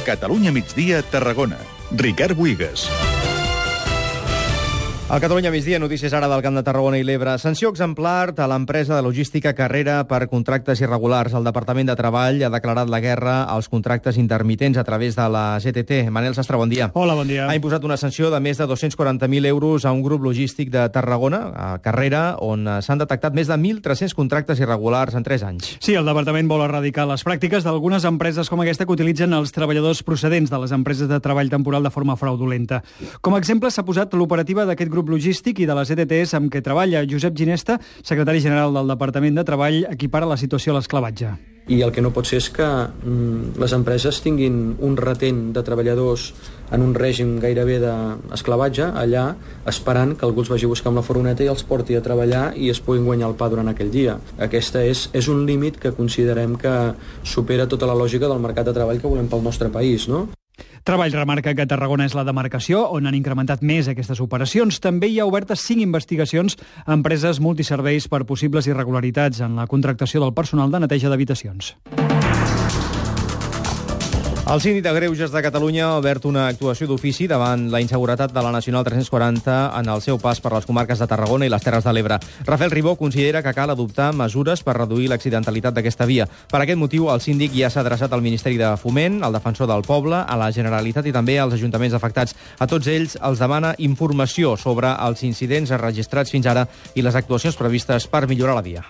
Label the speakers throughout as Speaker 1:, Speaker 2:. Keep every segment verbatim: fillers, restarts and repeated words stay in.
Speaker 1: Catalunya migdia, Tarragona. Ricard Buigas.
Speaker 2: A Catalunya migdia, notícies ara del Camp de Tarragona i l'Ebre. Sanció exemplar a l'empresa de logística Carrera per contractes irregulars. El Departament de Treball ha declarat la guerra als contractes intermitents a través de la G T T. Manel Sastre, bon dia.
Speaker 3: Hola, bon dia.
Speaker 2: Ha imposat una sanció de més de dos-cents quaranta mil euros a un grup logístic de Tarragona, a Carrera, on s'han detectat més de mil tres-cents contractes irregulars en tres anys.
Speaker 3: Sí, el Departament vol erradicar les pràctiques d'algunes empreses com aquesta que utilitzen els treballadors procedents de les empreses de treball temporal de forma fraudulenta. Com a exemple, s'ha posat l'operativa d'aquest grup logístic i de les E T Ts amb què treballa. Josep Ginesta, secretari general del Departament de Treball, equipara la situació a l'esclavatge.
Speaker 4: I el que no pot ser és que mm, les empreses tinguin un retent de treballadors en un règim gairebé d'esclavatge, allà esperant que algú els vagi a buscar amb la furgoneta i els porti a treballar i es puguin guanyar el pa durant aquell dia. Aquesta és, és un límit que considerem que supera tota la lògica del mercat de treball que volem pel nostre país, no?
Speaker 3: Treball remarca que Tarragona és la demarcació on han incrementat més aquestes operacions. També hi ha obertes cinc investigacions a empreses multiserveis per possibles irregularitats en la contractació del personal de neteja d'habitacions.
Speaker 2: El síndic de Greuges de Catalunya ha obert una actuació d'ofici davant la inseguretat de la Nacional tres-cents quaranta en el seu pas per les comarques de Tarragona i les Terres de l'Ebre. Rafael Ribó considera que cal adoptar mesures per reduir l'accidentalitat d'aquesta via. Per aquest motiu, el síndic ja s'ha adreçat al Ministeri de Foment, al Defensor del Poble, a la Generalitat i també als ajuntaments afectats. A tots ells els demana informació sobre els incidents registrats fins ara i les actuacions previstes per millorar la via.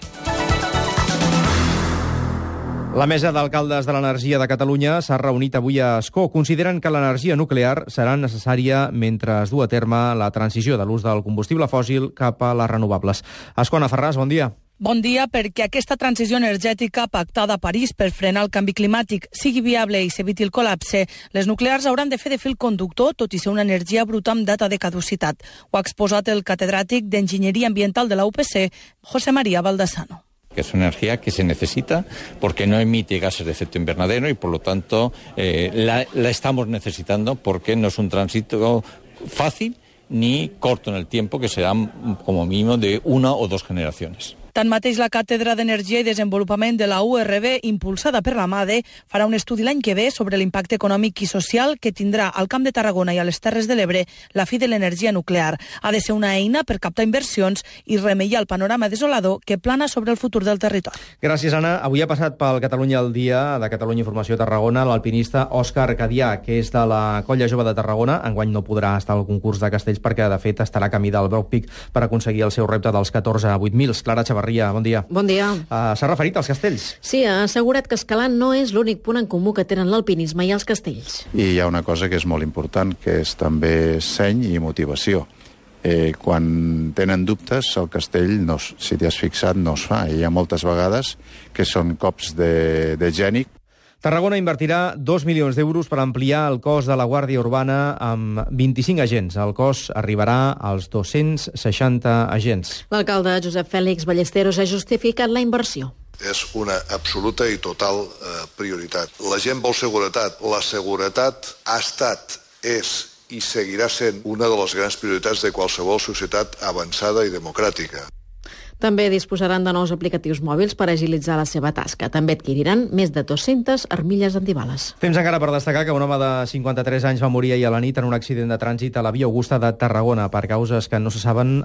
Speaker 2: La Mesa d'Alcaldes de l'Energia de Catalunya s'ha reunit avui a Ascó. Consideren que l'energia nuclear serà necessària mentre es du a terme la transició de l'ús del combustible fòssil cap a les renovables. Ascó, Anna Ferràs, bon dia.
Speaker 5: Bon dia, perquè aquesta transició energètica pactada a París per frenar el canvi climàtic sigui viable i s'eviti el col·lapse, les nuclears hauran de fer de fil conductor, tot i ser una energia bruta amb data de caducitat. Ho ha exposat el catedràtic d'Enginyeria Ambiental de la U P C, José María Baldassano.
Speaker 6: Que es una energía que se necesita porque no emite gases de efecto invernadero y por lo tanto eh, la, la estamos necesitando porque no es un tránsito fácil ni corto en el tiempo, que serán como mínimo de una o dos generaciones.
Speaker 5: Tanmateix, la Càtedra d'Energia i Desenvolupament de la U R B, impulsada per la MADE, farà un estudi l'any que ve sobre l'impacte econòmic i social que tindrà al Camp de Tarragona i a les Terres de l'Ebre la fi de l'energia nuclear. Ha de ser una eina per captar inversions i remeiar el panorama desolador que plana sobre el futur del territori.
Speaker 2: Gràcies, Anna. Avui ha passat pel Catalunya al dia de Catalunya Informació Tarragona l'alpinista Òscar Cadià, que és de la Colla Jove de Tarragona. Enguany no podrà estar al concurs de castells perquè, de fet, estarà camí del Broc Peak per aconseguir el seu repte dels catorze a vuit mil. Clara Chavarria, bon dia.
Speaker 7: Bon dia.
Speaker 2: Uh, S'ha referit als castells.
Speaker 7: Sí, ha assegurat que escalar no és l'únic punt en comú que tenen l'alpinisme i els castells.
Speaker 8: I hi ha una cosa que és molt important, que és també seny i motivació. Eh, quan tenen dubtes, el castell, no, si t'hi has fixat, no es fa. Hi ha moltes vegades que són cops de, de geni.
Speaker 2: Tarragona invertirà dos milions d'euros per ampliar el cos de la Guàrdia Urbana amb vint-i-cinc agents. El cos arribarà als dos-cents seixanta agents.
Speaker 7: L'alcalde Josep Fèlix Ballesteros ha justificat la inversió.
Speaker 9: És una absoluta i total eh, prioritat. La gent vol seguretat. La seguretat ha estat, és i seguirà sent una de les grans prioritats de qualsevol societat avançada i democràtica.
Speaker 7: També disposaran de nous aplicatius mòbils per agilitzar la seva tasca. També adquiriran més de dues-centes armilles antibales.
Speaker 2: Temps encara per destacar que un home de cinquanta-tres anys va morir ahir a la nit en un accident de trànsit a la Via Augusta de Tarragona. Per causes que no se saben,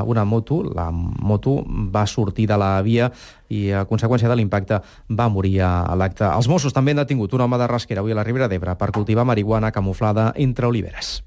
Speaker 2: una moto, la moto va sortir de la via i a conseqüència de l'impacte va morir a l'acte. Els Mossos també han detingut un home de Rasquera avui a la Ribera d'Ebre per cultivar marihuana camuflada entre oliveres.